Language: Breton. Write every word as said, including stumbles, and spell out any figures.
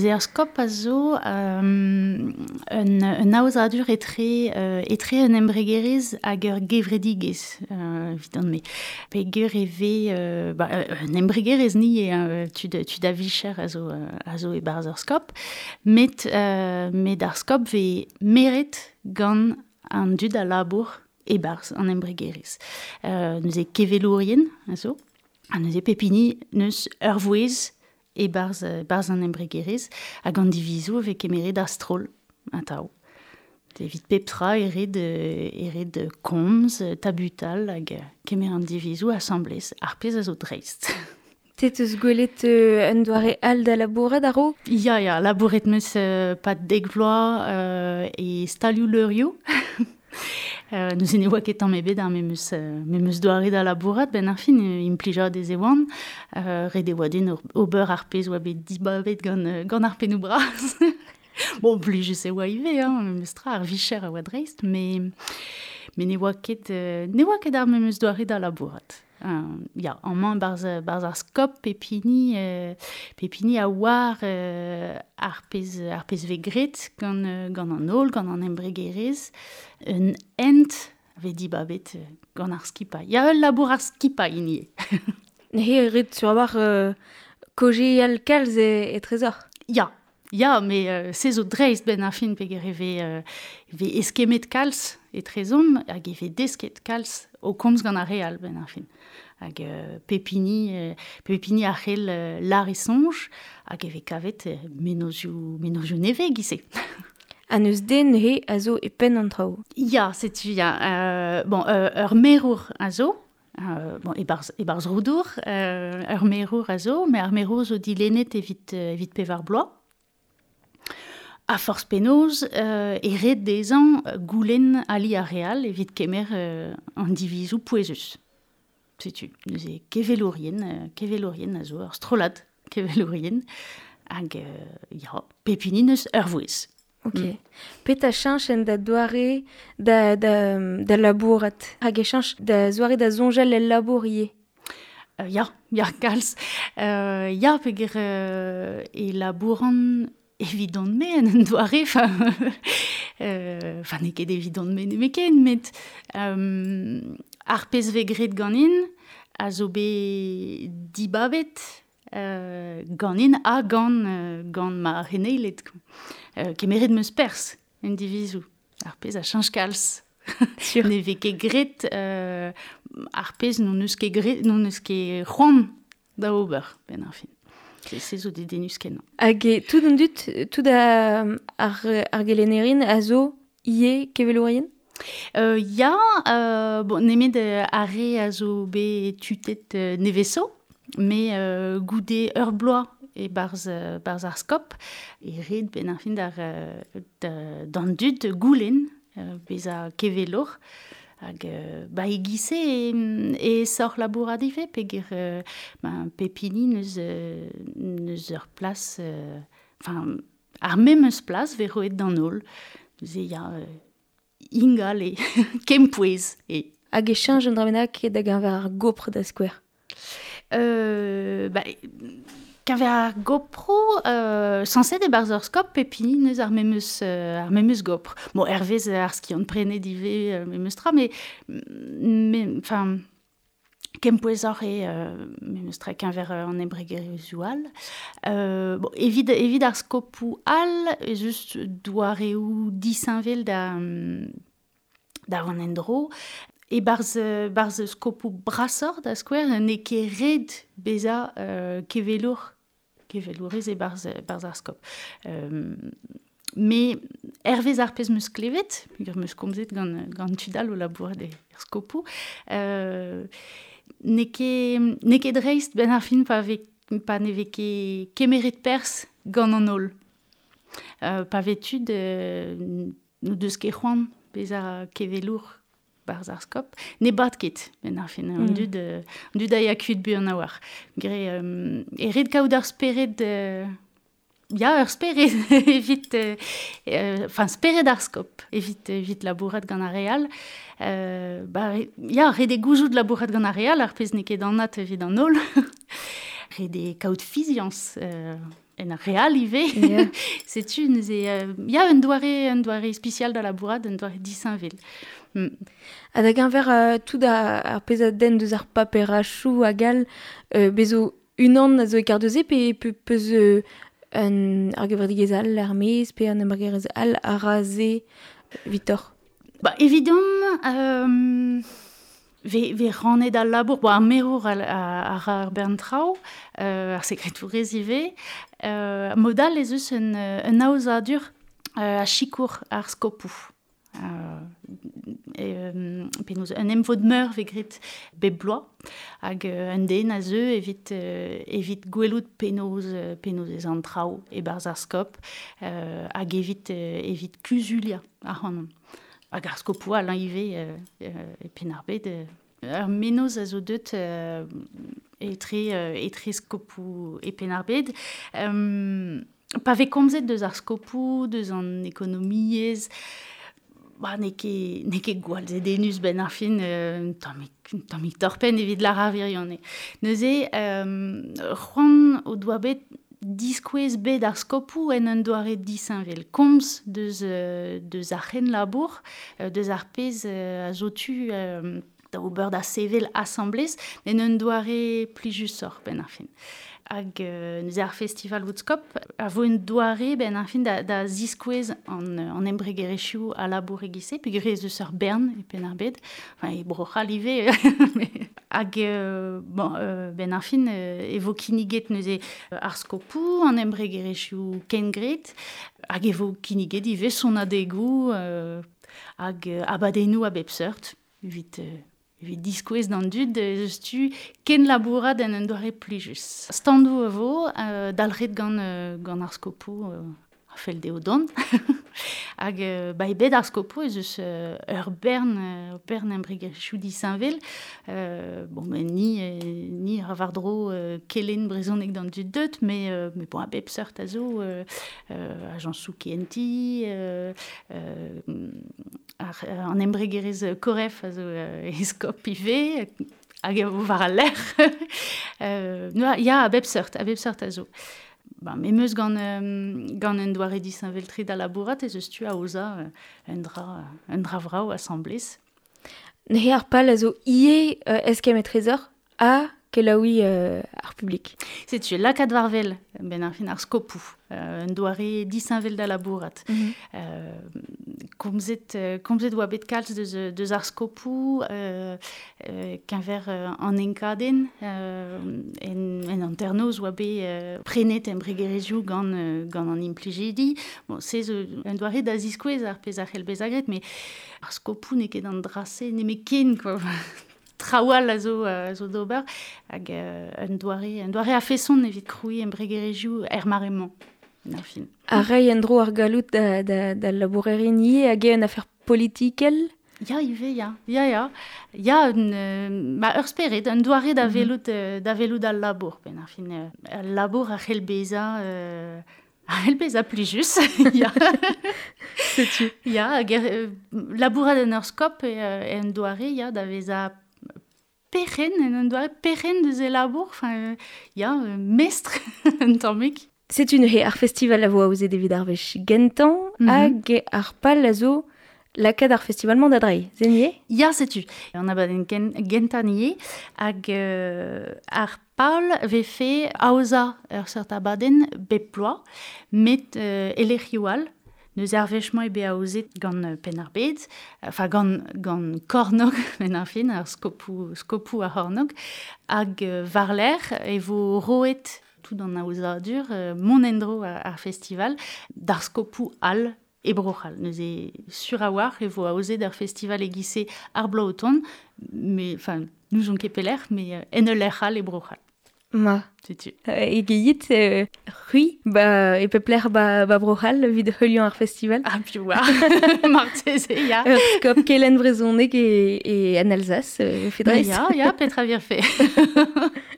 Neuze ar skop a zo um, un, un aozadur etre, uh, etre un embregerezh hag ur gevredigezh, uh, evidon-me. Peger e vez, uh, ba, un embregerezh ni eo, tud, tud a vicher a zo, a zo e-barzh ur skop, met, uh, met ar skop vez meret gant an dud a labour e-barzh an embregerezh. Uh, neuze kevelourien a zo, ha neuze pep hini neus ur vouezh e-barzh, barzh an embregerezh hag an divizoù e vez kemeret a-stroll atav. Evit pep tra e ret, e ret komz, tabutal hag kemer an divizoù asambles, ar pezh a zo dreist. Te teus gwelet euh, un doare all da labourat a-raok? Ya, ya, labouret meus euh, pad dek vloaz euh, e stalioù leurioù. Euh, neuze ne oa ket tamm ebet ar memes, euh, memes doare da labourat, ben ar fin implijadez e oan, euh, ret e oa din ober ar pezh oa bet dibabet gant, gant ar pennoù bras. Bon, plijus e oa ivez, hein, memes tra, ar vicher a oa dreist, mais, mais ne oa ket, euh, ne oa ket ar memes doare da labourat. Uh, ya, amañ barzh, barzh ar skop pep hini, euh, pep hini a oar euh, ar pezh, ar pezh vez graet gant, gant an holl, gant an embregerezh, un hent vez dibabet gant ar skipailh. Ya, ul labour ar skipailh hini. Neuze ret sur war euh, kaozeal kalz e, e trezor. Ya, ya, mais euh, se zo dreist ben ar fin peger e vez, euh, vez eskemet kalz e trezom hag e vez desket kalz o komz gant ar re all ben ar fin. Hag euh, pep hini, euh, pep hini a c'hell euh, lar e soñj hag e vez kavet euh, menozioù, menozioù nevez giz-se. Ha n'eus den neuze a zo e penn an traoù. Ya, setu ya. Euh, bon, euh, ur merour a zo, euh, bon, e-barzh, e-barzh Roudour, euh, ur merour a zo, met ar merour zo dilennet evit, euh, evit pevar bloaz. A forzh penaos, euh, e ret dezhañ goulenn ali ar re all evit kemer euh, an divizoù pouezus. Setu, neuze kevelourien, euh, kevelourien a zo ur strollad kevelourien, hag euh, ya, pep hini neus ur vouezh. Ok. Mm. Petra cheñch en da doare da, da, da labourat? Hag e cheñch da zoare da soñjal el labour ivez? Euh, ya, ya, kalz. Euh, ya, peger euh, e labouran evidon-me en un doare, enfin, euh, enfin n'eo ket evidon-me nemetken, met euh, ar pezh vez graet ganin a zo bet dibabet euh, ganin ha gant, euh, gant ma c'heneiled. Euh, kemeret meus perzh en divizoù. Ar pezh a cheñch kalz. Sur. Ne vez ket graet euh, ar pezh n'on eus ket graet, n'on eus ket c'hoant da ober, ben ar fin. Se, se zo dedennus kenañ. Hag e tout an dud, tout a, ar, ar gelennerien a zo ivez kevelourien? Euh, ya, euh, bon, nemet ar re a zo bet tutet euh, neveso, mais euh, goude ur bloaz e barzh, barzh ar skop, e ret ben ar fin d'ar, da, d'an dud goulenn euh, bezañ kevelour. Hag euh, ba e giz-se e, e sor labourat ivez, peger euh, ben, pep hini neus, euh, neus ur plas, euh, enfin, ar memes plas vez roet d'an holl. Neuze ya, euh, ingal e kempouez e. Hag e cheñch un dra bennak da geñver ar gopr da skouer? Euh, ba, keñver ar gopro, euh, sañset e-barzh ur skop pep hini neus ar memes, euh, ar memes gopr. Bon, hervez ar skiant prenet ivez euh, memes tra, mais, mais, enfin, kempouezoc'h eo euh, memes tra keñver an embregerezhioù all. Euh, bon, evit, evit ar skopoù all, ez eus doareoù disheñvel da, da vont en-dro. E-barzh, barzh skopoù brasoc'h da skouer, n'eo ket ret bezañ euh, kevelour, kevelourez e-barzh, barzh ar skop. Euh, mais hervez ar pezh meus klevet, peogwir meus komzet gant, gant tud all o labourat er skopoù, euh, n'eo ket, n'eo ket dreist ben ar fin pa vez, pa ne vez ket kemeret perzh gant an holl. Euh, pa vez tud, euh, n'o deus ket c'hoant bezañ kevelour barzh ar skop, ne bat ket, ben ar fin, an Mm. dud, euh, an dud a ya kuit buan a-walc'h. Gre, euh, e ret kaout ar spered, euh, ya, ur spered evit, euh, euh, enfin, spered ar skop, evit, evit labourat gant ar re all. Euh, ba, ya, ret eo gouzout labourat gant ar re all, ar pezh n'eo ket anat evit an holl. Ret eo kaout fiziañs, euh, en ar real ivez. Yeah. Setu, neuze, euh, ya un doare, un doare ispisial da labourat, un doare disheñvel. Mm. Ha da geñver uh, tout ar, ar pezh a denn deus ar paperachoù hag all, euh, bezo unan a zo e kar deus pe, pe peus euh, un ar gevredigezh all ar maez pe an embregerezh all a ra se Victor? Ba, evidom, euh, ve, ve rannet al labour, bo, ar merour ar, ar, ar bern traoù, euh, ar sekretourez ivez, euh, modal ez eus un, un aozadur euh, a sikour ar skopoù. Euh, e, euh, penaos, un emvod meur ve grit bep bloaz, hag euh, un den a zeu evit, euh, evit gwelout penaos, penaos ez an traoù e-barzh ar skop, euh, hag evit, euh, evit kuzulia ac'hanon. Hag ar skopoù all ivez euh, euh, e Penn-ar-Bed. Euh, ur menoz a zo deut euh, etre, euh, etre skopoù e Penn-ar-Bed. Euh, pa vez komzet deus ar skopoù, deus an ekonomiezh, ba, n'eo ket, n'eo ket gwall zedennus ben ar fin, euh, tammig, tammig torpenn evit lar ar wirionez. Neuze, euh, c'hoant o doa bet diskouez bet ar skopoù en un doare disheñvel. Komz deus, euh, deus ar c'henlabour, euh, deus ar pezh euh, a zo tu euh, da ober da sevel asamblez, en un doare plijusoc'h ben ar fin. Hag euh, neuze ar festival Woodskop a vo un doare ben ar fin da, da ziskouez an, an embregerezhioù a labour e-giz-se, peogwir ez eus ur bern e Penn-ar-Bed, enfin e Bro-C'hall ivez, hag euh, bon, euh, ben ar fin euh, e vo kinniget neuze ar skopoù, an embregerezhioù kengret, hag e vo kinniget ivez sonadegoù euh, hag euh, abadennoù a bep seurt, evit, euh, evit diskouez d'an dud eus tu ken labourat en un doare plijus. Standoù a vo, euh, dalc'het gant, euh, gant ar skopoù euh, a fell dezho dont. Hag euh, ba e bed ar skopoù ez eus euh, ur bern, ur bern embregerezhioù disheñvel. Euh, bon, ben, ni, euh, ni a war-dro euh, kelenn brezhoneg d'an dud deut, mais, euh, mais bon, a bep seurt a zo, euh, euh, ajañsoù kehentiñ, euh, euh, ar, an embregerezh Koref a zo euh, e skop ivez, hag e vo war al lec'h. euh, no, ya, a bep seurt, a bep seurt a zo. Ba, me meus gant, euh, gant un doare disheñvel-tre da labourat ez eus tu aozañ euh, un dra, un dra vrav asamblez. Neuze ar pal a zo ivez euh, eskemm etrezoc'h ha kelaouiñ euh, ar publik. Setu, lakaat war-wel, ben ar fin ar skopoù, euh, un doare disheñvel da labourat. Mm -hmm. euh, komzet, euh, komzet oa bet kalz deus, deus ar skopoù, euh, euh, keñver euh, an enkadenn, euh, en, en hanternoz oa bet euh, prenet embregerezhioù gant, euh, gant an implijidi. Bon, se zo un doare da ziskouez ar pezh a c'hell bezañ graet, mais ar skopoù n'eo ket an dra-se nemetken, quoi. Traoù all a zo, a zo d'ober, hag euh, un doare, un doare a-feson evit krouiñ embregerezhioù er mare-mañ, en ar fin. Ha reiñ en-dro ar galloud da, da, da labourerien ivez hag eo un afer politikel? Ya ivez, ya, ya, ya. Ya, un, euh, ba, ur spered, un doare da Mm -hmm. welout, euh, da welout al labour. Ben ar fin, euh, al labour a c'hell bezañ, euh, a c'hell bezañ plijus. Ya. Setu. Ya, hag er, labourat en ur skop e, euh, un doare, ya, da vezañ perc'henn, en un doare perc'henn deus e labour, enfin, euh, ya, euh, mestr, un tammig. Setu neuze ar festival a vo aozet evit ar wech gentañ, Mm -hmm. hag ar pal a zo lakaat ar festival-mañ da dreiñ, se ivez? Ya, setu. An abadenn gen, gentañ ivez, hag euh, ar pal vefe aozañ ur seurt abadenn bep bloaz, met euh, e lec'hioù all. Neuze ar wech-mañ eo bet aozet gant Penn-ar-Bed, enfin gant, gant Kornog, ben ar fin, ar skopoù, skopoù ar C'hornog, hag euh, war-lerc'h e vo roet tout an aozadur, euh, mont en-dro ar, ar festival, d'ar skopoù all e Bro-C'hall. Neuze sur a-walc'h e vo aozet ar festival e-giz-se ar bloaz o tont, mais, enfin, n'ouzon ket pelec'h, mais euh, en ul lec'h all e Bro-C'hall. Ma. Setu. Euh, e geit, euh, c'hwi, ba, e pep lec'h ba, ba Bro-C'hall evit heuliañ ar festival. Ah, piv oar. Marteze, ya. Ur skop kelenn brezhoneg e, e en Alsace, euh, Ba, fedrez. ya, ya, petra virfe.